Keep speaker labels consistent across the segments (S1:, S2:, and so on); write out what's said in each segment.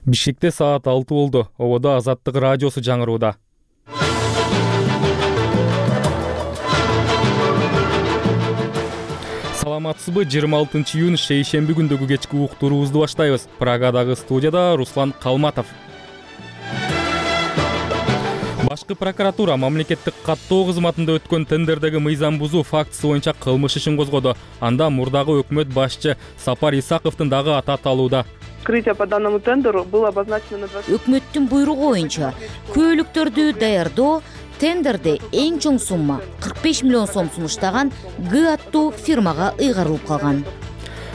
S1: Бишкекте саат 6 болду. Ободо Азаттык радиосу жаңырууда. Саламатсызбы? 26 июнь шейшемби күндөгү кечки уктуруубузду баштайбыз. Прагадагы студияда Руслан Калматов. Башкы прокуратура мамлекеттик каттоо кызматында өткөн тендердеги мыйзам бузуу фактысы боюнча кылмыш ишин козгоду. Анда мурдагы өкмөт башчы Сапар Исаковдун дагы аты аталууда.
S2: Открытие по данному тендеру было обозначено на 20...
S3: Өкмөттүн буйругу боюнча көйлүктөрдү даярдоо тендерде эң чоң сумма 45 миллион сом сунуштаган Г аттуу фирмага ыйгарылып калган.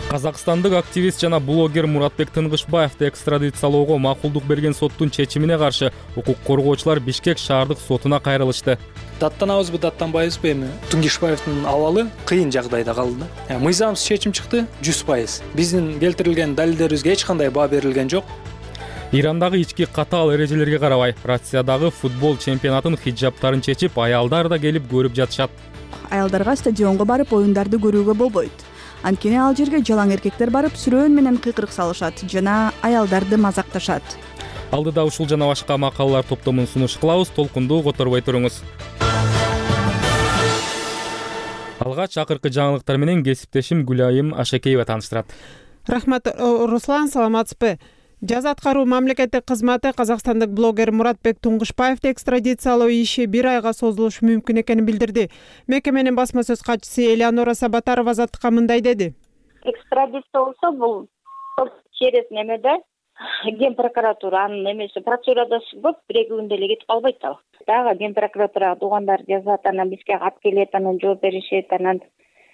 S1: Казакстандык активист жана блогер Муратбек Тынгышбаевди экстрадициялоого макулдук берген соттун чечимине каршы укук коргоочулар Бишкек шаардык сотуна кайрылышты.
S4: Даттанабызбы, даттанбайбызбы, эми Тынгышбаевдин абалы кыйын жагдайда калды. Мыйзамсыз чечим чыкты 100%. Биздин келтирилген далилдерибизге эч кандай баа берилген жок.
S1: Ирандагы ички катаал эрежелерге карабай, Россиядагы футбол чемпионатын хиджабтарын чечип, аялдар да келип көрүп жатышат.
S5: Аялдарга стадионго барып оюндарды көрүүгө болбойт. Анткени ал жерге жалаң эркектер барып сүрөөн менен кыйкырык салышат жана аялдарды мазакташат.
S1: Алдыда ушул жана башка макалалар топтомун сунуш кылабыз, толкунду которбой туруңуз. Алгач акыркы жаңылыктар менен кесиптешим Гүлайым Ашекеева тааныштырат.
S6: Рахмат, Руслан, саламатсызбы? Жаза аткаруу мамлекеттик кызматы казакстандык блогер Муратбек Туңгушбаевди экстрадициялоо иши 1 айга созулушу мүмкүн экенин билдирди. Мекеменин басма сөз катчысы Элеонора Сабатарова Азаттыкка мындай деди.
S7: Экстрадиция болсо бул через немеде Ген прокуратуранын немеси процедурада көп 1-2 күндө эле кетип калбайт ал. Дагы Ген прокуратурага туугандар жазат, анан бизге кат келет, анан жооп беришет, анан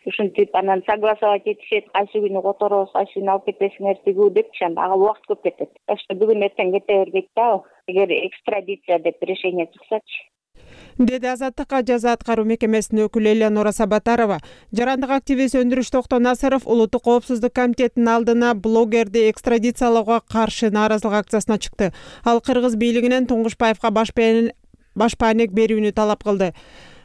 S7: ушинтип анан согласовать этишет, кайсы күнү которобуз, кайсы күнү алып кетесиңер тигүү депчи, ага убакыт көп кетет. Так что бүгүн эртең кете бербейт да, эгер экстрадиция деп решение чыксачы.
S6: Деди Азаттыкка жаза аткаруу мекемесинин өкүлү Элеонора Сабатарова. Жарандык активист Өндүрүш Токтонасыров Улуттук коопсуздук комитетинин алдына блогерди экстрадициялоого каршы нааразылык акциясына чыкты. Ал кыргыз бийлигинен Туңгушбаевга башпаанек берүүнү талап кылды.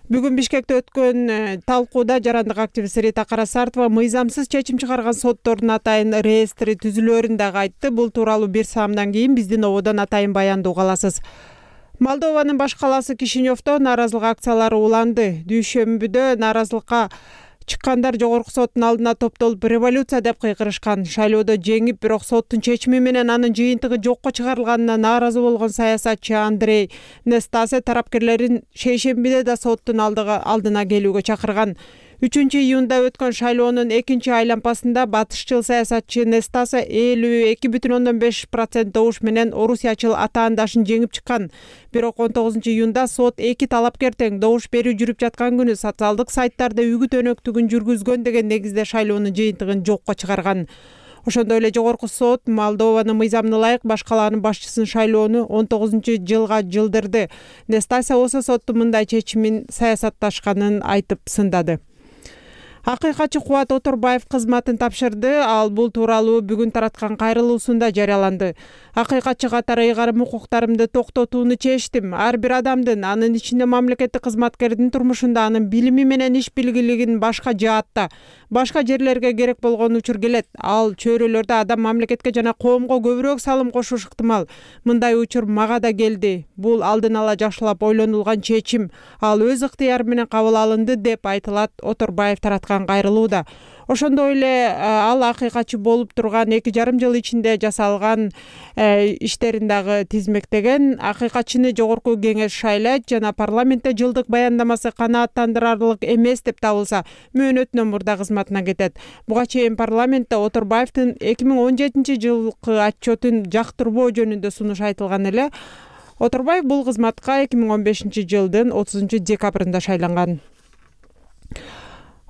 S6: Бүгүн Бишкекте өткөн талкууда жарандык активист Рита Карасартова мыйзамсыз чечим чыгарган соттордун атайын реестри түзүлөөрүн дагы айтты. Бул тууралуу бир саамдан кийин биздин ободон атайын баянды уга аласыз. Молдованын баш калаасы Кишиневдо нааразылык акциялары уланды. Дүйшөмбүдө нааразылыкка чыккандар жогорку соттун алдына топтолуп революция деп кыйкырышкан. Шайлоодо жеңип, бирок соттун чечими менен анын жыйынтыгы жокко чыгарылганына нааразы болгон саясатчы Андрей Нестасе тарапкерлерин шейшембиде да соттун алдына келүүгө чакырган. 3-июнда өткөн шайлоонун экинчи айлампасында батышчыл саясатчы Нестаса 52,5% добуш менен орусиячыл атаандашын жеңип чыккан. Бирок 19-июнда сот 2 талапкер тең добуш берүү жүрүп жаткан күнү социалдык сайттарда үгүт өнөктүгүн жүргүзгөн деген негизде шайлоонун жыйынтыгын жокко чыгарган. Ошондой эле жогорку сот Молдованын мыйзамына ылайык баш калаанын башчысын шайлоону 19-жылга жылдырды. Нестаса болсо соттун мындай чечимин саясатташканын айтып сындады. Акыйкатчы Кубат Оторбаев кызматын тапшырды. Ал бул тууралуу бүгүн тараткан кайрылуусунда жарыяланды. Акыйкатчы катары ыйгарым укуктарымды токтотууну чечтим. Ар бир адамдын, анын ичинде мамлекеттик кызматкердин турмушунда анын билими менен иш билгилигин башка жаатта, башка жерлерге керек болгон учур келет. Ал чөйрөлөрдө адам мамлекетке жана коомго көбүрөөк салым кошуш ыктымал. Мындай учур мага да келди. Бул алдын ала жакшылап ойлонулган чечим. Ал өз ыктыяры менен кабыл алынды деп айтылат Оторбаев тараткан кайрылууда. Ошондой эле ал акыйкатчы болуп турган 2,5 жыл ичинде жасалган иштерин дагы тизмектеген. Акыйкатчыны жогорку кеңеш шайлайт жана парламентте жылдык баяндамасы канааттандырарлык эмес деп табылса, мөөнөтүнөн мурда кызматына кетет. Буга чейин парламентте Оторбаевдин 2017 жылкы отчетун жактырбоо жөнүндө сунуш айтылган эле. Оторбаев бул кызматка 2015 жылдын 30 декабрында шайланган.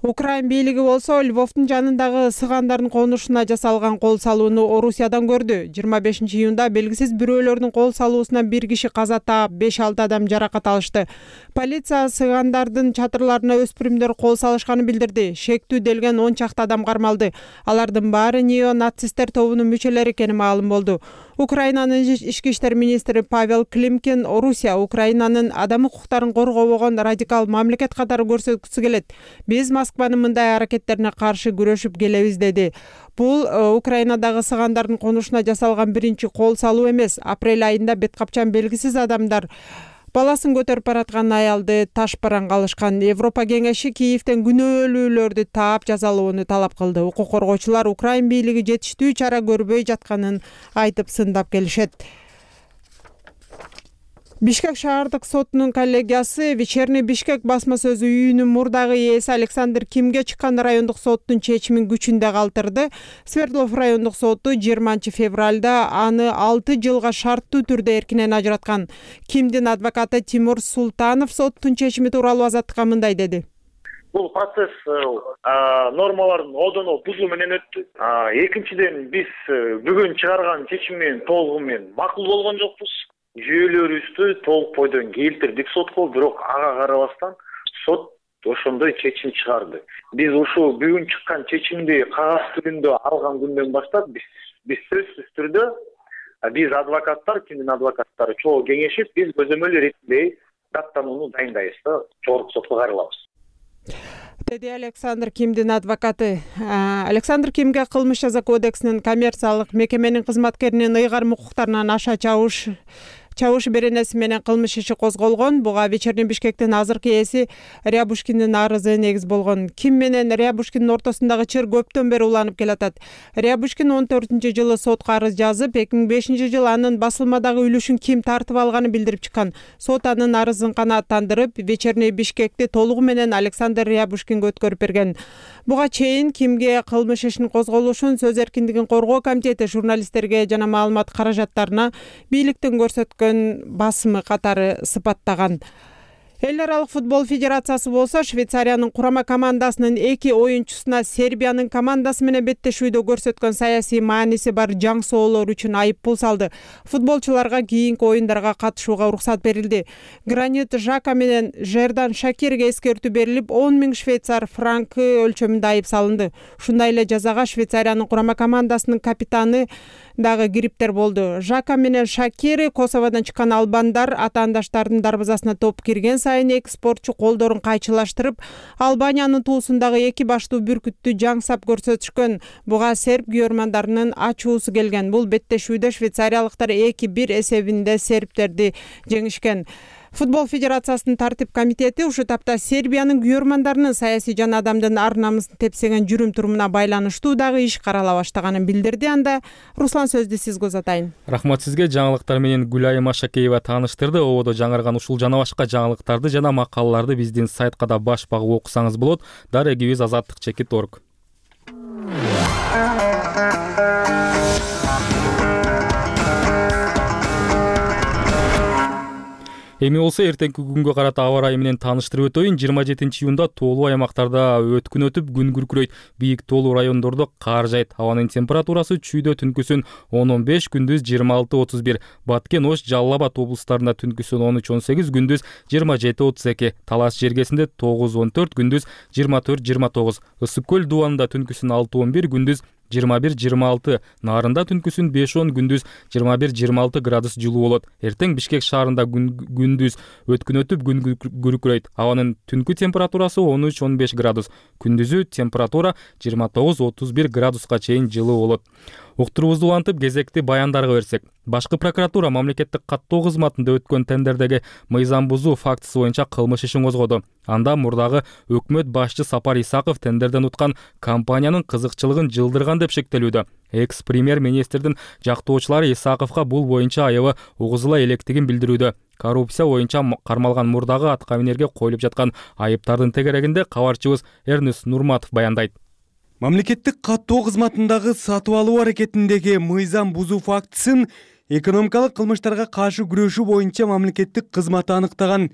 S6: Украин бийлиги болсо Львовдун жанындагы сыгандардын конушуна жасалган кол салууну Орусиядан көрдү. 25-июнда белгисиз бирөөлөрдүн кол салуусунан 1 киши каза таап, 5-6 адам жаракат алышты. Полиция сыгандардын чатырларына өспүрүмдөр кол салышканын билдирди. Шектүү делген 10 чакты адам кармалды. Алардын баары неонацисттер тобунун мүчөлөрү экени маалым болду. Украинанын ички иштер министри Павел Климкин Орусия Украинанын адам укуктарын коргобогон радикал мамлекет катары көрсөткүсү келет. Биз Москванын мындай аракеттерине каршы күрөшүп келебиз деди. Бул Украинадагы сыгандардын конушуна жасалган биринчи кол салуу эмес. Апрель айында бет капчан белгисиз адамдар баласын көтөрүп бараткан аялды таш бараңга алышкан. Европа кеңеши Киевден күнөөлүүлөрдү таап жазалоону талап кылды. Укук коргоочулар Украин бийлиги жетиштүү чара көрбөй жатканын айтып сындап келишет. Бишкек шаардык сотунун коллегиясы Вечерний Бишкек басма сөзү үйүнүн мурдагы ээси Александр Кимге чыккан райондук соттун чечимин күчүндө калтырды. Свердлов райондук соту 20 февралда аны 6 жылга шарттуу түрдө эркинен ажыраткан. Кимдин адвокаты Тимур Султанов соттун чечими тууралуу азаттыкка мындай деди.
S8: Бул процесс нормалардын одоно бузуу менен өттү. Экинчиден, биз бүгүн чыгарган чечим менен толугу менен макул болгон жокпуз. Жүйөлөрүбүздү толук бойдон келтирдик сотко, бирок ага карабастан сот ошондой чечим чыгарды. Биз ушул бүгүн чыккан чечимди кагаз түрүндө алган күндөн баштап биз сөзсүз түрдө биз адвокаттар, Кимдин адвокаттары чогуу кеңешип, биз көзөмөл иретинде даттанууну дайындайбыз да жогорку сотко кайрылабыз.
S6: Деди Александр Кимдин адвокаты. Александр Кимге кылмыш жаза кодексинин коммерциялык мекеменин кызматкеринин ыйгарым укуктарынан аша чабыш беренеси менен кылмыш иши козголгон. Буга Вечерний Бишкектин азыркы ээси Рябушкиндин арызы негиз болгон. Ким менен Рябушкиндин ортосундагы чыр көптөн бери уланып келатат. Рябушкин 14-жылы сотко арыз жазып, 2005-жылы анын басылмадагы үлүшүн Ким тартып алганын билдирип чыккан. Сот анын арызын канааттандырып, Вечерний Бишкекти толугу менен Александр Рябушкинге өткөрүп берген. Буга чейин Кимге кылмыш ишин козголушун сөз эркиндигин коргоо комитети журналисттерге жана маалымат каражаттарына бийликтин көрсөткөн басымы катары сыпаттаган. Эл аралык футбол федерациясы болсо Швейцариянын курама командасынын 2 оюнчусуна Сербиянын командасы менен беттешүүдө көрсөткөн саясий мааниси бар жаң соолор үчүн айыппул салды. Футболчуларга кийинки оюндарга катышууга уруксат берилди. Гранит Жака менен Жердан Шакирге эскертүү берилип, 10 000 швейцар франкы өлчөмүндө айып салынды. Ушундай эле жазага Швейцариянын курама командасынын капитаны дагы кириптер болду. Жака менен Шакир Косоводон чыккан албандар атаандаштардын дарбазасына топ кирген сайын эки спортчу колдорун кайчылаштырып, Албаниянын туусундагы эки баштуу бүркүттү жаңсап көрсөтүшкөн. Буга серб күйөрмандарынын ачуусу келген. Бул беттешүүдө швейцариялыктар 2-1 эсебинде сербтерди жеңишкен. Футбол федерациясынын тартип комитети ушул тапта Сербиянын күйөрмандарынын саясий жана адамдын ар намысын тепсеген жүрүм-турумуна байланыштуу дагы иш карала баштаганын билдирди. Анда Руслан сөздү сизге узатайын.
S1: Рахмат сизге. Жаңылыктар менен Гүлайым Ашакеева тааныштырды. Ободо жаңырган ушул жана башка жаңылыктарды жана макалаларды биздин сайтка да баш багып окусаңыз болот. Дарегибиз azatlyk.org. Эми болсо эртеңки күнгө карата аба ырайы менен тааныштырып өтөйүн. 27-июнда тоолуу аймактарда өткүн өтүп, күн күркүрөйт. Бийик тоолуу райондордо кар жайт. Абанын температурасы чүйдө түнкүсүн 10-15, күндүз 26-31. Баткен, Ош, Жалал Абад облустарында түнкүсүн 13-18, күндүз 27-32. Талас жергесинде 9-14, күндүз 24-29. Ысык көл дубанында түнкүсүн 6-11, күндүз 21-26, Нарында түнкүсүн 5-10, күндүз 21-26 градус жылуу болот. Эртең Бишкек шаарында күндүз өткүн өтүп, күн күркүрөйт. Абанын түнкү температурасы 13-15 градус, күндүзү температура 29-31 градуска чейин жылуу болот. Уктурубузду улантып, кезекти баяндарга берсек. Башкы прокуратура мамлекеттик каттоо кызматында өткөн тендердеги мыйзам бузуу фактысы боюнча кылмыш ишин козгоду. Анда мурдагы өкмөт башчы Сапар Исаков тендерден уткан компаниянын кызыкчылыгын жылдырган деп шектелүүдө. Экс-премьер-министрдин жактоочулары Исаковго бул боюнча аябы угузула электигин билдирүүдө. Коррупция боюнча кармалган мурдагы аткаминерге коюлуп жаткан айыптардын тегерегинде кабарчыбыз Эрнес Нурматов баяндайт.
S9: Мамлекеттик каттоо кызматындагы сатып алуу аракетиндеги мыйзам бузуу фактысын экономикалык кылмыштарга каршы күрөшүү боюнча мамлекеттик кызмат аныктаган.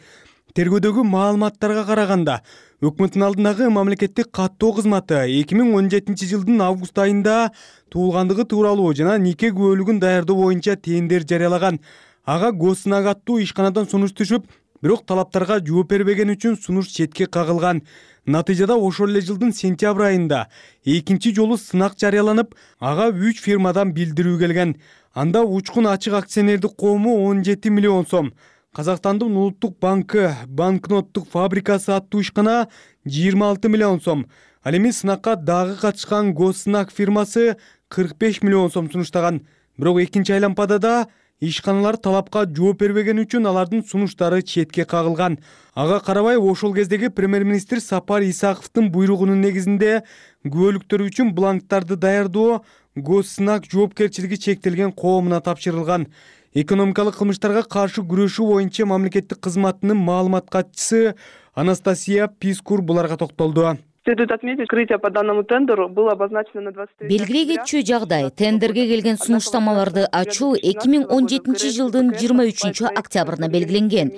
S9: Тергөөдөгү маалыматтарга караганда, өкмөттүн алдындагы мамлекеттик каттоо кызматы 2017 жылдын август айында туулгандыгы тууралуу жана нике күбөлүгүн даярдоо боюнча тендер жарыялаган. Ага госсынак аттуу ишканадан сунуш түшүп, бирок талаптарга жооп бербеген үчүн сунуш четке кагылган. Натыйжада ошол эле жылдын сентябрь айында экинчи жолу сынак жарыяланып, ага 3 фирмадан билдирүү келген. Анда учкун ачык акционердик коому 17 миллион сом, Казакстандын улуттук банкы банкноттук фабрикасы аттуу ишкана 26 миллион сом, ал эми сынакка дагы катышкан Госнак фирмасы 45 миллион сом сунуштаган. Бирок экинчи айлампада да ишканалар талапка жооп бербеген үчүн алардын сунуштары четке кагылган. Ага карабай ошол кездеги премьер-министр Сапар Исаковдун буйругунун негизинде күбөлүктөр үчүн бланктарды даярдоо Госнак жоопкерчилиги чектелген коомуна тапшырылган. Экономикалык кылмыштарга каршы күрөшүү боюнча мамлекеттик кызматынын маалымат катчысы Анастасия Пискур буларга токтолду.
S2: Следует отметить, открытие по данному тендеру было обозначено на 23.
S3: Белгилей кетчү жагдай тендерге келген сунуштамаларды ачуу 2017 жылдын 23 октябрына белгиленген.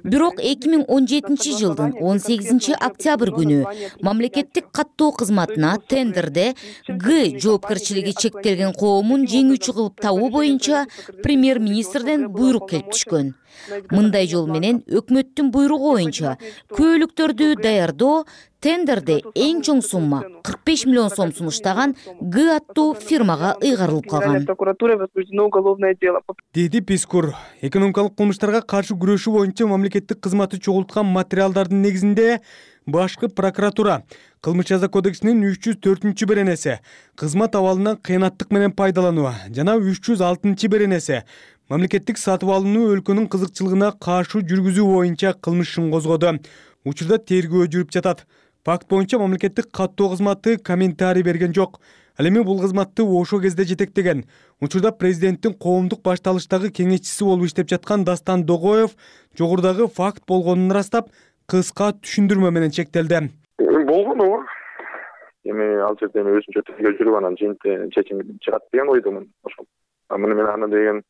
S3: Бирок 2017 жылдын 18 октябрь күнү мамлекеттик каттоо кызматына тендерде Г жоопкерчилиги чектелген коомун жеңүүчү кылып табуу боюнча премьер-министрден буйрук келип түшкөн. Мындай жол менен өкмөттүн буйругу боюнча көөлүктөрдү даярдоо тендерде эң чоң сумма 45 миллион сом сунуштаган Г аттуу фирмага ыйгарылып калган.
S9: Деди Пискур. Экономикалык кылмыштарга каршы күрөшүү боюнча мамлекеттик кызматы чогулткан материалдардын негизинде башкы прокуратура Кылмыш жаза кодексинин 304 беренеси кызмат абалынан кыянаттык менен пайдалануу жана 306 беренеси мамлекеттик сатып алууну өлкөнүн кызыкчылыгына каршы жүргүзүү боюнча кылмыш ишин козгоду. Учурда тергөө жүрүп жатат. Факт боюнча мамлекеттик каттоо кызматы комментарий берген жок. Ал эми бул кызматты ошол кезде жетектеген учурда президенттин коомдук башталыштагы кеңешчиси болуп иштеп жаткан Дастан Догоев жогорудагы факт болгонун ырастап, кыска түшүндүрмө менен чектелди.
S10: Болгон ооба. Эми ал жерде өзүнчө тергөө жүрүп анан жыйынтык чечим чыгат деген ойдумун. Ошол. Муну мен аны деген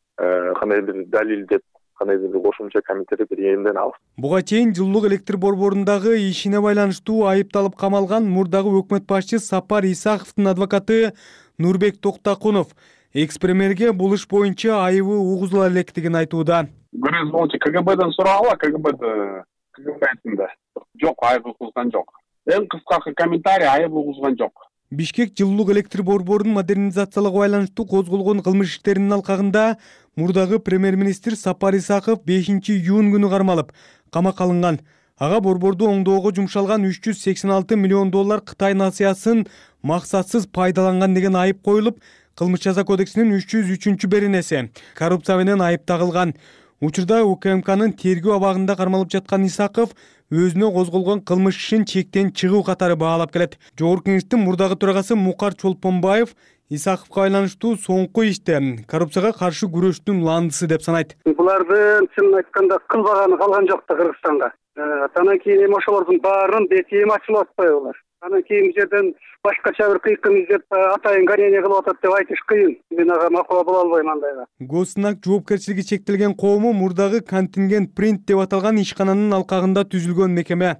S10: кандай бир далил деп кандай бир кошумча комментарий бир элден алып.
S9: Буга чейин жылуулук электр борборундагы ишине байланыштуу айыпталып камалган мурдагы өкмөт башчы Сапар Исаковдун адвокаты Нурбек Токтакунов экс-премьерге бул иш боюнча айыбы угузула электигин айтууда.
S11: Көрөсүз болчу КГБдан сурагыла, КГБ айтында. Жок, айып угузган жок. Эң кыскасы комментарий айып угузган жок.
S9: Бишкек жылуулук электр борборунун модернизациялоого байланыштуу козголгон кылмыш иштеринин алкагында мурдагы премьер-министр Сапар Исаков 5-июнь күнү кармалып, камакка алынган. Ага борборду оңдоого жумшалган 386 миллион доллар Кытай насыясын максатсыз пайдаланган деген айып коюлуп, кылмыш жаза кодексинин 303 беренеси коррупция менен айып тагылган. Учурда УКМКнын тергөө абагында кармалып жаткан Исаков өзүнө козголгон кылмыш ишин чектен чыгуу катары баалап келет. Жогорку кеңештин мурдагы төрагасы Мукар Чолпонбаев Исаковго байланыштуу соңку иште коррупцияга каршы күрөштүн ландысы деп санайт.
S12: Булардын чынын айтканда кылбаганы калган жок да Кыргызстанга. Анан кийин эми ошолордун баарын бети эми ачылып атпайбы? Анан кийин жерден башкача бир кыйкым издеп атайын гонение кылып атат деп айтыш кыйын. Мен ага макул боло албайм андайга.
S9: Госнак жоопкерчилиги чектелген коому мурдагы контингент принт деп аталган ишкананын алкагында түзүлгөн мекеме.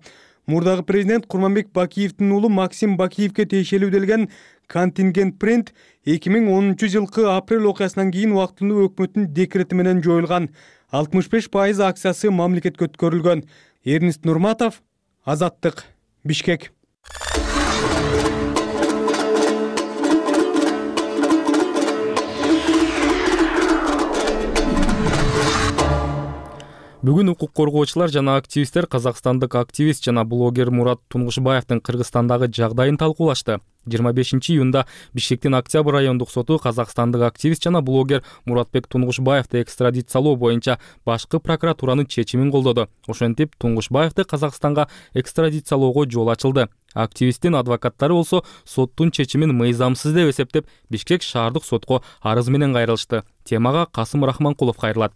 S9: Мурдагы президент Курманбек Бакиевдин уулу Максим Бакиевге тиешелүү делген контингент принт 2010 жылкы апрель окуясынан кийин убактылуу өкмөттүн декрети менен жоюлган. 65% акциясы мамлекетке өткөрүлгөн. Эрнист Нурматов, Азаттык, Бишкек.
S1: Бүгүн укук коргоочулар жана активисттер казакстандык активист жана блогер Мурат Тунгушбаевдин Кыргызстандагы жагдайын талкуулашты. 25-июнда Бишкектин Октябрь райондук соту казакстандык активист жана блогер Муратбек Тунгушбаевди экстрадициялоо боюнча башкы прокуратуранын чечимин колдоду. Ошентип Тунгушбаевди Казакстанга экстрадициялоого жол ачылды. Активисттин адвокаттары болсо соттун чечимин мыйзамсыз деп эсептеп Бишкек шаардык сотко арыз менен кайрылышты. Темага Касым Рахманкулов кайрылат.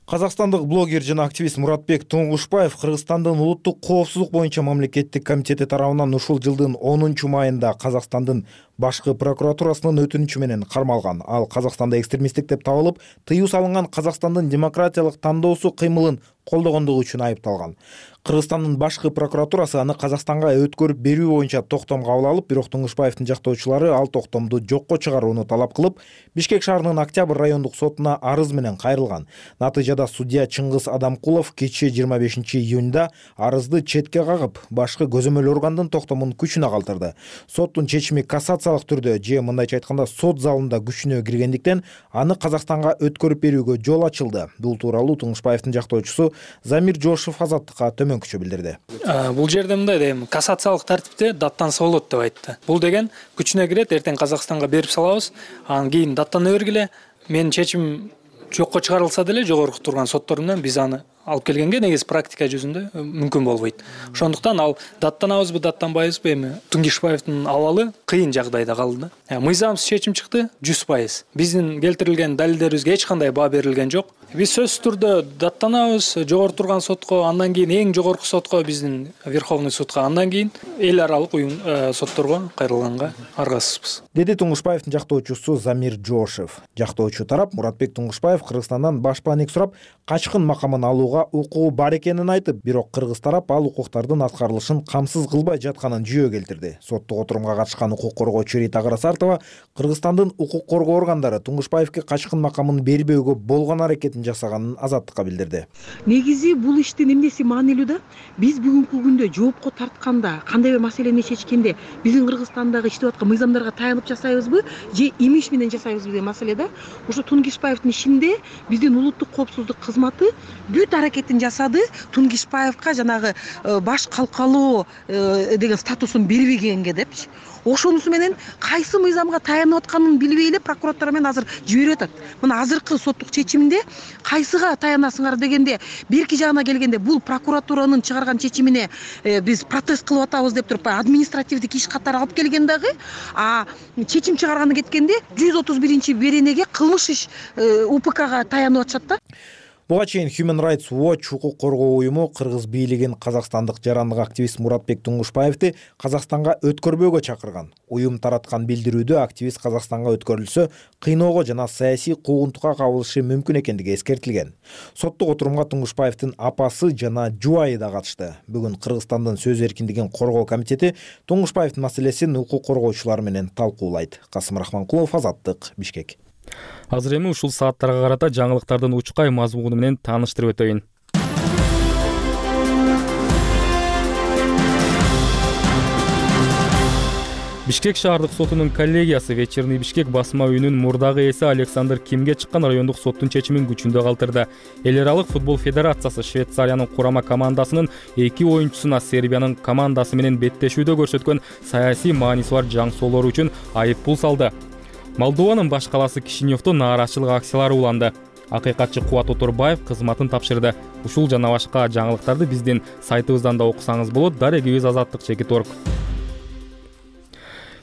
S13: Казакстандык блогер жана активист Муратбек Тунгушбаев Кыргызстандын улуттук коопсуздук боюнча мамлекеттик комитети тарабынан ушул жылдын 10-майында Казакстандын башкы прокуратурасынын өтүнүчү менен кармалган. Ал Казакстанда экстремисттик деп табылып, тыюу салынган Казакстандын демократиялык тандоосу кыймылын колдогондугу үчүн айыпталган. Кыргызстандын башкы прокуратурасы аны Казакстанга өткөрүп берүү боюнча токтом кабыл алып, бирок Тунгушбаевдин жактоочулары ал токтомду жокко чыгарууну талап кылып, Бишкек шаарынын Октябрь райондук сотуна арыз менен кайрылган. Натыйжада судья Чыңгыз Адамкулов кечээ 25-июнда арызды четке кагып, башкы көзөмөл органдын токтомун күчүнө калтырды. Соттун чечими кассация кассациялык түрдө же мындайча айтканда сот залында күчүнө киргендиктен аны Казакстанга өткөрүп берүүгө жол ачылды. Бул тууралуу Туңгушбаевдин жактоочусу Замир Жошев Азаттыкка төмөнкүчө билдирди.
S4: Бул жерде мындай дейм, кассациялык тартипте даттанса болот деп айтты. Бул деген күчүнө кирет, эртең Казакстанга берип салабыз, анан кийин даттана бергиле. Менин чечимим жокко чыгарылса деле жогорку турган соттор менен биз аны алып келгенге негизи практика жүзүндө мүмкүн болбойт. Ошондуктан ал даттанабызбы, даттанбайбызбы, эми Туңгушбаевдин абалы кыйын жагдайда калды. Мыйзамсыз чечим чыкты 100%. Биздин келтирилген далилдерибизге эч кандай баа берилген жок. Биз сөзсүз түрдө даттанабыз жогору турган сотко, андан кийин эң жогорку сотко, биздин Верховный судка, андан кийин эл аралык сотторго кайрылганга аргасызбыз.
S13: Деди Туңгушбаевдин жактоочусу Замир Жошев. Жактоочу тарап Муратбек Туңгушбаев Кыргызстандан башпаанек сурап, качкын макамын алууга укугу бар экенин айтып, бирок кыргыз тарап ал укуктардын аткарылышын камсыз кылбай жатканын жүйө келтирди. Соттук отурумга катышкан укук коргоочу Рита Карасартова Кыргызстандын укук коргоо органдары Туңгушбаевге качкын макамын бербөөгө болгон аракетин жасаганын Азаттыкка билдирди.
S14: Негизи бул иштин эмнеси маанилүү да? Биз бүгүнкү күндө жоопко тартканда, кандай бир маселени чечкенде биздин Кыргызстандагы иштеп аткан мыйзамдарга таянып жасайбызбы же имиш менен жасайбызбы деген маселе да. Ошо Туңгушбаевдин ишинде биздин улуттук коопсуздук кызматы бүт аракетин жасады Туңгушбаевка жанагы баш калкалоо деген статусун бербегенге депчи. Ошонусу менен кайсы мыйзамга таянып атканын билбей эле прокуратура менен азыр жиберип атат. Мына азыркы соттук чечимде кайсыга таянасыңар дегенде, берки жагына келгенде бул прокуратуранын чыгарган чечимине биз протест кылып атабыз деп туруп административдик иш катары алып келген дагы, чечим чыгарганы кеткенде 131-беренеге кылмыш иш УПКга таянып атышат да.
S13: Буга чейин Human Rights Watch укук коргоо уюму кыргыз бийлигин казакстандык жарандык активист Муратбек Туңгушбаевди Казакстанга өткөрбөөгө чакырган. Уюм тараткан билдирүүдө активист Казакстанга өткөрүлсө, кыйноого жана саясий куугунтукка кабылышы мүмкүн экендиги эскертилген. Соттук отурумга Туңгушбаевдин апасы жана жубайы да катышты. Бүгүн Кыргызстандын сөз эркиндигин коргоо комитети Туңгушбаевдин маселесин укук коргоочулар менен талкуулайт. Касым Рахманкулов, Азаттык, Бишкек.
S1: Азыр эми ушул сааттарга карата жаңылыктардын учкай мазмуну менен тааныштырып өтөйүн. Бишкек шаардык сотунун коллегиясы Вечерний Бишкек басма үйүнүн мурдагы ээси Александр Кимге чыккан райондук соттун чечимин күчүндө калтырды. Эл аралык футбол федерациясы Швейцариянын курама командасынын 2 оюнчусуна Сербиянын командасы менен беттешүүдө көрсөткөн саясий мааниси бар жаң соолору үчүн айып пул салды. Молдованын баш калаасы Кишиневдо нааразычылык акциялары уланды. Акыйкатчы Кубат Оторбаев кызматын тапшырды. Ушул жана башка жаңылыктарды биздин сайтыбыздан да окусаңыз болот. Дарегибиз Азаттык.org.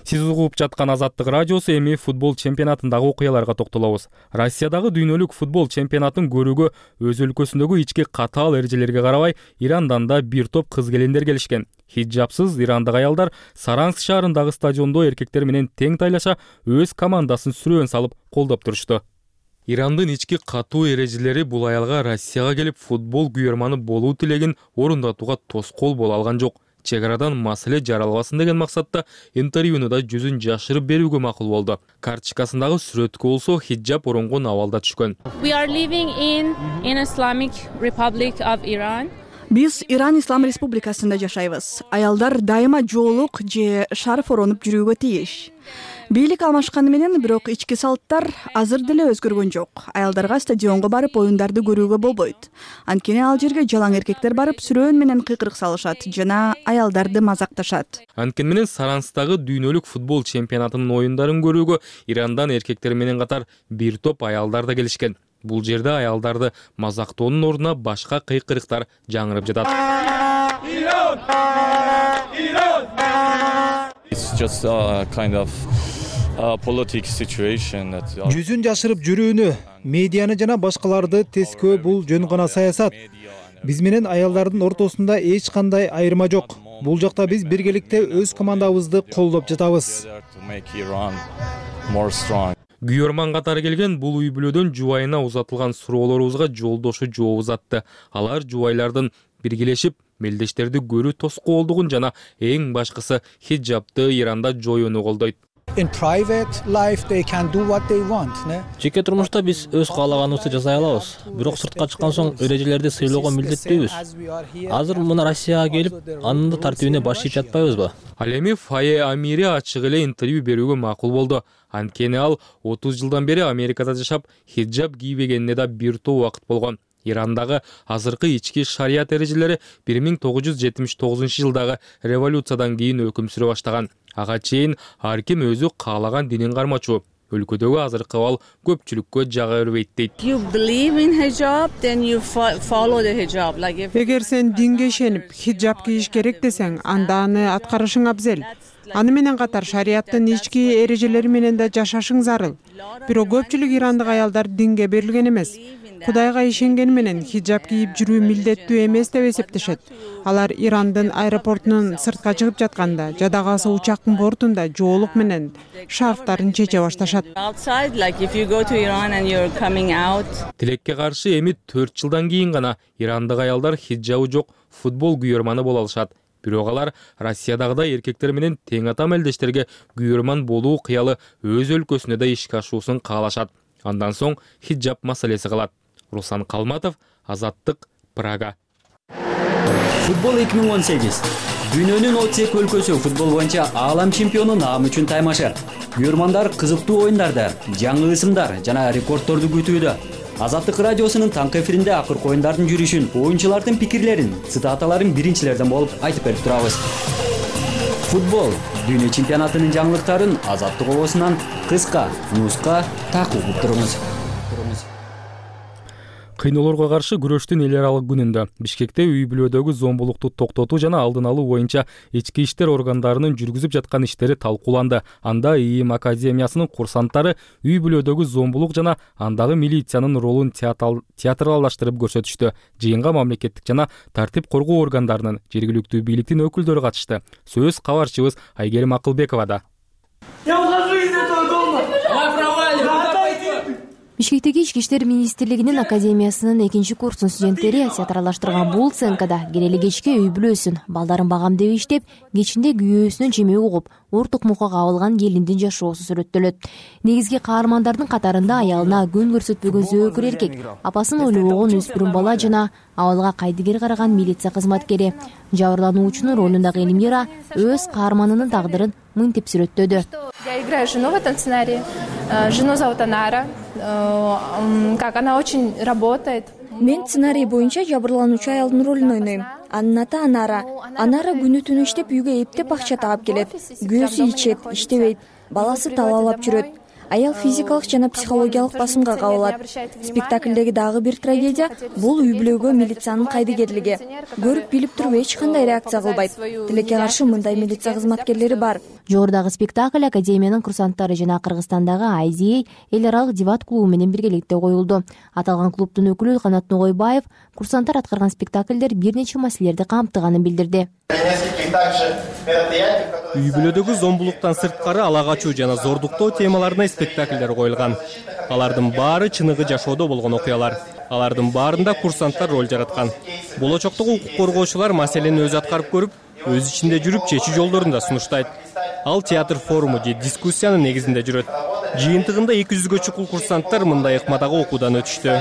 S1: Сиз угуп жаткан Азаттык радиосу. Эми футбол чемпионатындагы окуяларга токтолобуз. Россиядагы дүйнөлүк футбол чемпионатын көрүүгө өз өлкөсүндөгү ички катаал эрежелерге карабай Ирандан да бир топ кыз келиндер келишкен. Хиджабсыз ирандык аялдар Саранск шаарындагы стадиондо эркектер менен тең тайлаша өз командасын сүрөөн салып колдоп турушту. Ирандын ички катуу эрежелери бул аялга Россияга келип футбол күйөрманы болуу тилегин орундатууга тоскоол боло алган жок. Чек арадан маселе жаралбасын деген максатта интервьюнда жүзүн жашырып берүүгө макул болду. Карточкасындагы сүрөткө болсо хиджаб оронгон абалда түшкөн.
S15: We are living in Islamic Republic of Iran.
S5: Биз Иран Ислам Республикасында жашайбыз. Аялдар дайыма жоолук же шарф оронуп жүрүүгө тийиш. Бийлик алмашканы менен бирок ички салттар азыр деле өзгөргөн жок. Аялдарга стадионго барып оюндарды көрүүгө болбойт. Анткени ал жерге жалаң эркектер барып сүрөөн менен кыйкырык салышат жана аялдарды мазакташат.
S1: Анткени менен Саранстагы дүйнөлүк футбол чемпионатынын оюндарын көрүүгө Ирандан эркектер менен катар бир топ аялдар да келишкен. Бул жерде аялдарды мазактоонун ордуна башка кыйкырыктар жаңырып жатат.
S16: Жүзүн жашырып жүрүүнү, медианы жана башкаларды тескөө бул жөн гана саясат. Биз менен аялдардын ортосунда эч кандай айырма жок. Бул жакта биз биргеликте өз командабызды колдоп жатабыз.
S1: Күйөрман катары келген бул үй бүлөдөн жубайына узатылган суроолорубузга жолдошу жооп узатты. Алар жубайлардын биргелешип мелдештерди көрүү тоскоолдугун жана эң башкысы хиджабты Иранда жоюуну колдойт.
S17: Жеке турмушта биз өз каалаганыбызды жасай алабыз, бирок сыртка чыккан соң эрежелерди сыйлоого милдеттүүбүз. Азыр мына Россияга келип, анын да тартибине баш ийип жатпайбызбы?
S1: Ал эми Фае Амири ачык эле интервью берүүгө макул болду. Анткени ал 30 жылдан бери Америкада жашап, хиджаб кийбегенине да бир топ убакыт болгон. Ирандагы азыркы ички шарият эрежелери 1979 жылдагы революциядан кийин өкүм сүрө баштаган. Ага чейин ар ким өзү каалаган динин кармачу. Өлкөдөгү азыркы абал көпчүлүккө жага бербейт дейт.
S6: Эгер сен динге ишенип, хиджаб кийиш керек десең, анда аны аткарышың абзел. Аны менен катар шариаттын ички эрежелери менен да жашашың зарыл. Бирок көпчүлүк ирандык аялдар динге берилген эмес. Кудайга ишенгени менен хиджаб кийип жүрүү милдеттүү эмес деп эсептешет. Алар Ирандын аэропортунун сыртка чыгып жатканда, жадагасы учактын бортунда жоолук менен шарфтарын чече башташат.
S1: Тилекке каршы эми 4 жылдан кийин гана ирандык аялдар хиджабы жок футбол күйөрманы боло алышат. Бирок алар Россиядагыдай эркектер менен тең ата мелдештерге күйөрман болуу кыялы өз өлкөсүнө да ишке ашуусун каалашат. Андан соң хиджаб маселеси калат. Руслан Калматов, Азаттык, Прага.
S18: Футбол 2018. Дүйнөнүн 32 өлкөсү футбол боюнча аалам чемпиону наам үчүн таймашы. Күйөрмандар кызыктуу оюндарды, жаңы ысымдар жана рекордторду күтүүдө. Азаттык радиосунун таңкы эфиринде акыркы оюндардын жүрүшүн, оюнчулардын пикирлерин, цитаталарын биринчилерден болуп айтып берип турабыз. Футбол дүйнө чемпионатынын жаңылыктарын Азаттык обосунан кыска, нуска такып угуп туруңуз.
S1: Кыйноолорго каршы күрөштүн эл аралык күнүндө Бишкекте үй бүлөдөгү зомбулукту токтотуу жана алдын алуу боюнча ички иштер органдарынын жүргүзүп жаткан иштери талкууланды. Анда ИИМ академиясынын курсанттары үй бүлөдөгү зомбулук жана андагы милициянын ролун театралдаштырып көрсөтүштү. Жыйынга мамлекеттик жана тартип коргоо органдарынын, жергиликтүү бийликтин өкүлдөрү катышты. Сөз кабарчыбыз Айгерим Акылбековада.
S19: Бишкектеги Ички иштер министрлигинин академиясынын 2-курстун студенттери театралдаштырган бул сценкада келели кечке үй бүлөсүн, балдарын багамдеп иштеп, кечинде күйөөсүнүн чемеги угуп, ортук мукка кабылган келиндин жашоосу сүрөттөлөт. Негизги каармандардын катарында аялына күн көрсөтпөгөн зөөкүр эркек, апасын ойлобогон өспүрүм бала жана абалга кайдыгер караган милиция кызматкери. Жабырлануучунун ролундагы Элмира өз каарманынын тагдырын мынтип сүрөттөдү.
S20: Я играю жену в этом сценарии. Жену зовут Анара. Как она очень работает.
S21: Мен сценарий боюнча жабырлануучу аялдын ролун ойнойм. Анын аты Анара. Анара күнү түнү иштеп үйгө эптеп акча таап келет. Күйөөсү ичет, иштебейт, баласы талаалап жүрөт. Аял физикалык жана психологиялык басымга кабылат. Спектаклдеги дагы бир трагедия бул үй бүлөгө милициянын кайдыгерлиги. Көрүп билип туруп эч кандай реакция кылбайт. Тилекке каршы мындай милиция кызматкерлери бар.
S19: Жогорудагы спектакль академиянын курсанттары жана Кыргызстандагы IDA эл аралык дебат клубу менен биргеликте коюлду. Аталган клубдун өкүлү Канат Ногойбаев курсанттар аткарган спектакльдер бир нече маселелерди камтыганын билдирди.
S22: Үй бүлөдөгү зомбулуктан сырткары ала качуу жана зордуктоо темаларына спектакльдер коюлган. Алардын баары чыныгы жашоодо болгон окуялар. Алардын баарында курсанттар роль жараткан. Болочоктогу укук коргоочулар маселени өзү аткарып көрүп, өз ичинде жүрүп чечүү жолдорун да сунуштайт. Ал театр форуму же дискуссиянын негизинде жүрөт. Жыйынтыгында 200гө чукул курсанттар мындай ыкмадагы окуудан өтүштү.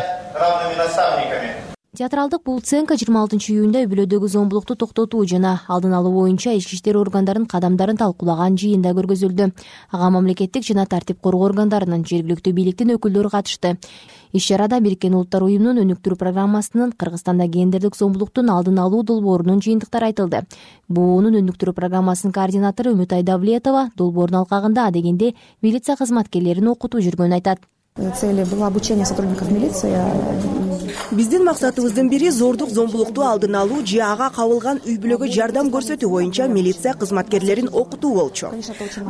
S19: Театралдык бул сценка 26-июнда үй бүлөдөгү зомбулукту токтотуу жана алдын алуу боюнча ички иштер органдарынын кадамдарын талкуулаган жыйында көргөзүлдү. Ага мамлекеттик жана тартип коргоо органдарынын, жергиликтүү бийликтин өкүлдөрү катышты. Иш-чарада Бириккен Улуттар уюмунун өнүктүрүү программасынын Кыргызстанда гендердик зомбулуктун алдын алуу долбоорунун жыйынтыктары айтылды. БУУнун өнүктүрүү программасынын координатору Үмүтай Давлетова долбоордун алкагында адегенде милиция кызматкерлерин окутуп жүргөнүн айтат.
S23: Цели было обучение сотрудников милиции.
S24: Биздин максатыбыздын бири зордук зомбулукту алдын алуу же ага кабылган үй бүлөгө жардам көрсөтүү боюнча милиция кызматкерлерин окутуу болчу.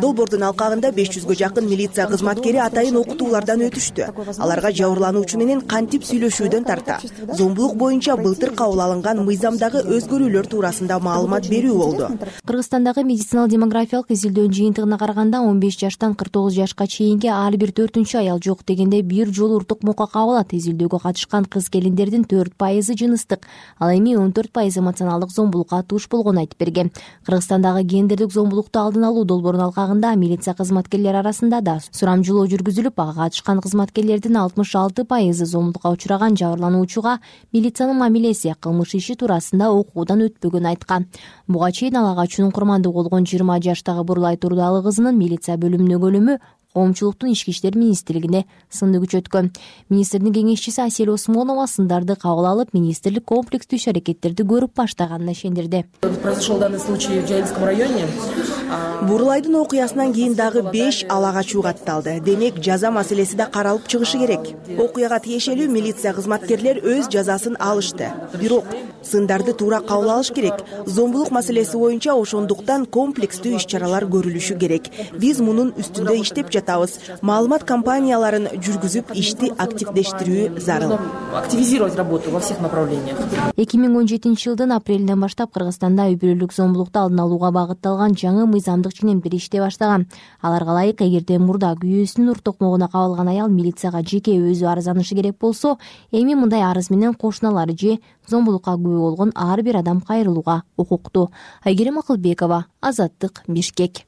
S24: Долбоордун алкагында 500гө жакын милиция кызматкери атайын окутуулардан өтүштү. Аларга жабырлануучу менен кантип сүйлөшүүдөн тарта, зомбулук боюнча былтыр кабыл алынган мыйзамдагы өзгөрүүлөр туурасында маалымат берүү болду.
S19: Кыргызстандагы медициналык демографиялык изилдөөнүн жыйынтыгына караганда 15 жаштан 49 жашка чейинки ар бир 4-аял жок дегенде бир жолу уртук мука кабылат. Изилдөөгө катышкан кыз-келиндердин 4% жыныстык, ал эми 14% эмоционалдык зомбулукка туш болгонун айтып берген. Кыргызстандагы гендердик зомбулукту алдын алуу долбоорунун алкагында милиция кызматкерлери арасында да сурамжылоо жүргүзүлүп, ага катышкан кызматкерлердин 66% зомбулукка учураган жабырлануучуга милициянын мамилеси кылмыш иши туурасында окуудан өтпөгөнүн айткан. Буга чейин ала качуунун курмандыгы болгон 20 жаштагы Бурлай Турдалы кызынын милиция бөлүмүнө өлүмү коомчулуктун ички иштер министрлигине сынды күчөткөн. Министрдин кеңешчиси Асель Осмонова сындарды кабыл алып, министрлик комплекстүү иш-аракеттерди көрүп баштаганына ишендирди.
S24: Произошел данный случай в Жайылском районе. Бурлайдын окуясынан кийин дагы 5 ала качуу катталды. Демек, жаза маселеси да каралып чыгышы керек. Окуяга тиешелүү милиция кызматкерлер өз жазасын алышты. Бирок сындарды туура кабыл алыш керек. Зомбулук маселеси боюнча ошондуктан комплекстүү иш-чаралар көрүлүшү керек. Биз мунун үстүндө иштеп жатабыз. Маалымат кампанияларын жүргүзүп, ишти активдештирүү зарыл. Активизировать работу во всех направлениях.
S19: 2017 жылдын апрелинен баштап Кыргызстанда үй бүлөлүк зомбулукту алдын алууга багытталган жаңы мыйзамдык ченемдер иштей баштаган. Аларга ылайык, эгерде мурда күйөөсүнүн уртукмугуна кабылган аял милицияга жеке өзү арызданышы керек болсо, эми мындай арыз менен кошуналары же зомбулукка күбө болгон ар бир адам кайрылууга укуктуу. Айгерим Акылбекова, Азаттык, Бишкек.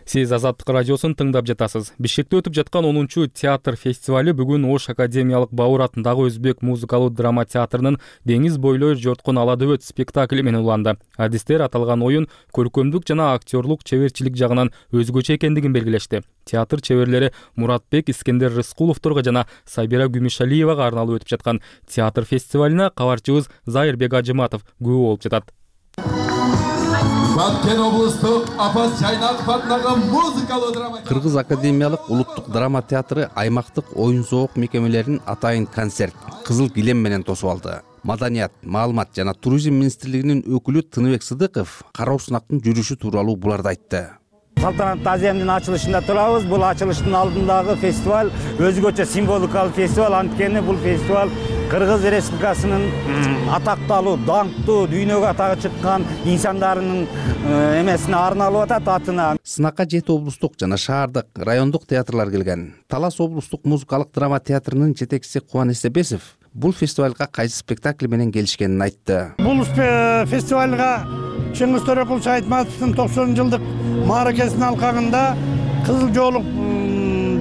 S1: Сиз Азаттык радиосун тыңдап жатасыз. Бишкекте өтүп жаткан 10-чу театр фестивали бүгүн Ош академиялык Бауыр атындагы өзбек музыкалуу драма театрынын Деңиз бойлой жоткон ала дөбөт спектакли менен уланды. Адистер аталган оюн көркөмдүк жана актерлук чеберчилик жагынан өзгөчө экендигин белгилешти. Театр чеберлери Муратбек Искендер Рыскуловторго жана Сабира Гүмишалиевага арналып өтүп жаткан театр фестивалине кабарчыбыз Зайырбек Ажыматов күбө болуп жатат.
S2: Баткен облустук Апас Чайнаков атындагы музыкалуу драма
S3: Кыргыз академиялык улуттук драма театры аймактык оюн-зоок мекемелеринин атайын концерт Кызыл килем менен тосуп алды. Маданият, маалымат жана туризм министрлигинин өкүлү Тыныбек Сыдыков кароо сынактын жүрүшү тууралуу буларды айтты.
S7: Салтанаттуу азиямдын ачылышында турабыз. Бул ачылыштын алдындагы фестиваль өзгөчө символикалык фестиваль. Анткени бул фестиваль Кыргыз Республикасынын атакталуу, даңктуу, дүйнөгө атагы чыккан инсандарынын эмесине арналып атат, атына.
S3: Сынакка 7 облустук жана шаардык, райондук театрлар келген. Талас облустук музыкалык драма театрынын жетекчиси Кубан Эстебесов бул фестивалга кайсы спектакль менен келишкенин айтты.
S7: Бул фестивалга Чыңгыз Төрөкул Айтматовдун 90-жылдык мааракесинин алкагында Кызыл жоолук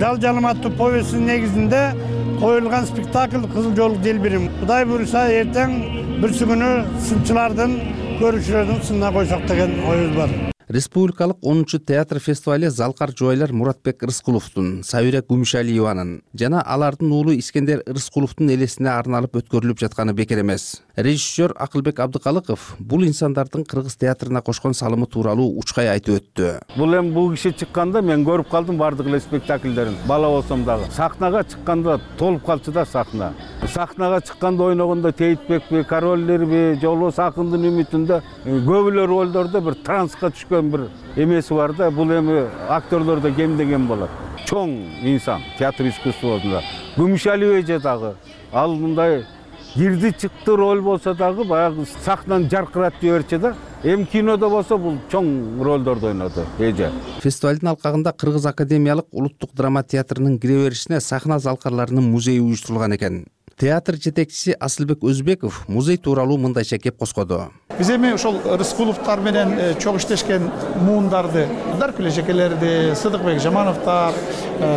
S7: жал-жалым аттуу повестинин негизинде коюлган спектакль Кызыл жоолук делбирим. Кудай буюрса эртең бүрсү күнү сынчылардын, көрүүчүлөрдүн сынына койсок деген оюбуз бар.
S3: Республикалык 10-чу театр фестивали залкар жубайлар Муратбек Рыскуловдун, Сабира Гүмишалиеванын жана алардын уулу Искендер Рыскуловдун элесине арналып өткөрүлүп жатканы бекер эмес. Режиссер Акылбек Абдыкалыков бул инсандардын кыргыз театрына кошкон салымы тууралуу учкай айтып өттү.
S7: Бул киши чыкканда мен көрүп калдым бардык эле спектакльдерин. Бала болсом дагы. Сахнага чыкканда толуп калчу да сахна. Сахнага чыкканда ойногондо Тейтбекпи, Королдерби, же болбосо Акындын үмүтүндө көп эле ролдордо бир транска түшкөн бир эмеси бар да. Бул эми актерлордо кемдеген болот. Чоң инсан театр искусствосунда. Гүмүшалиева дагы ал мындай кирди чыкты роль болсо дагы баягы сахнаны жаркыратып жиберчү да. Эми кинодо болсо бул чоң ролдорду ойноду эже.
S3: Фестивалдын алкагында Кыргыз академиялык улуттук драма театрынын кире беришине сахна залкарларынын музейи уюштурулган экен. Театр жетекчиси Асылбек Өзбеков музей тууралуу мындайча кеп коскоду.
S8: Биз эми ошол Рыскуловтар менен чоң иштешкен муундарды, Даркүл эжекелерди, Сыдыкбек Жамановтар,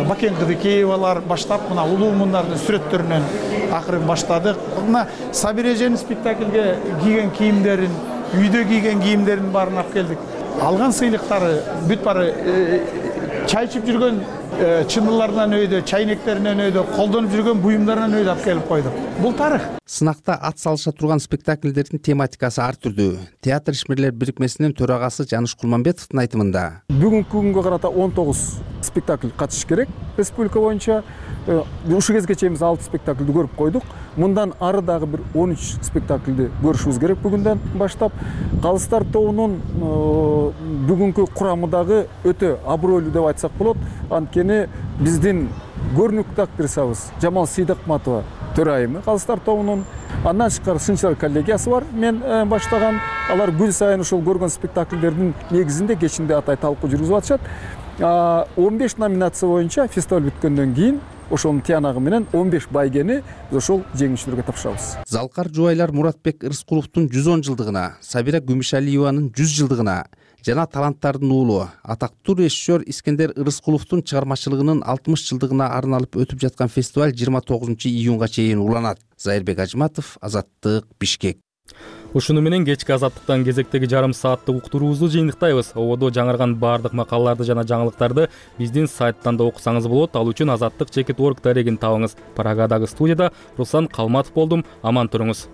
S8: Бакен Кыдыкеевалар баштап мына улуу муундардын сүрөттөрүнөн акырын баштадык. Мына Сабира эженин спектакльге кийген кийимдерин, үйдө кийген кийимдерин баарын алып келдик. Алган сыйлыктары бүт баары чай ичип жүргөн чыныларынан өйдө, чайнектеринен өйдө, колдонуп жүргөн буюмдарынан өйдө алып келип койдук. Бул тарых.
S3: Сынакта ат салыша турган спектакльдердин тематикасы ар түрдүү. Театр ишмерлер бирикмесинин төрагасы Жаныш Кулманбетовдун айтымында.
S25: Бүгүнкү күнгө карата 19 спектакль катышыш керек. Республика боюнча ушул кезге чейин биз 6 спектакльди көрүп койдук. Мындан ары дагы бир 13 спектакльди көрүшүбүз керек бүгүндөн баштап. Калыстар тобунун бүгүнкү курамы дагы өтө абройлуу деп айтсак болот. Анткени биздин көрүнүктүү актрисабыз Жамал Сейдакматова төрайымы Калыстар тобунун. Андан тышкары сынчылар коллегиясы бар. Мен баштаган. Алар күн сайын ушул көргөн спектакльдердин негизинде кечинде атай талкуу жүргүзүп атышат. 15 номинация боюнча фестиваль бүткөндөн кийин ошонун тыянагы менен 15 байгени биз ошол жеңүүчүлөргө тапшырабыз.
S3: Залкар жубайлар Муратбек Рыскуловдун 110 жылдыгына, Сабира Гүмүшалиеванын 100 жылдыгына жана таланттардын уулу атактуу режиссер Искендер Рыскуловдун чыгармачылыгынын 60 жылдыгына арналып өтүп жаткан фестиваль 29-июнга чейин уланат. Зайырбек Ажматов, Азаттык, Бишкек.
S1: Ушуну менен кечки Азаттыктан кезектеги жарым сааттык уктуруубузду жыйынтыктайбыз. Ободо жаңырган баардык макалаларды жана жаңылыктарды биздин сайттан да окусаңыз болот. Ал үчүн Азаттык.org дарегин табыңыз. Прагадагы студияда Руслан Калматов болдум. Аман туруңуз.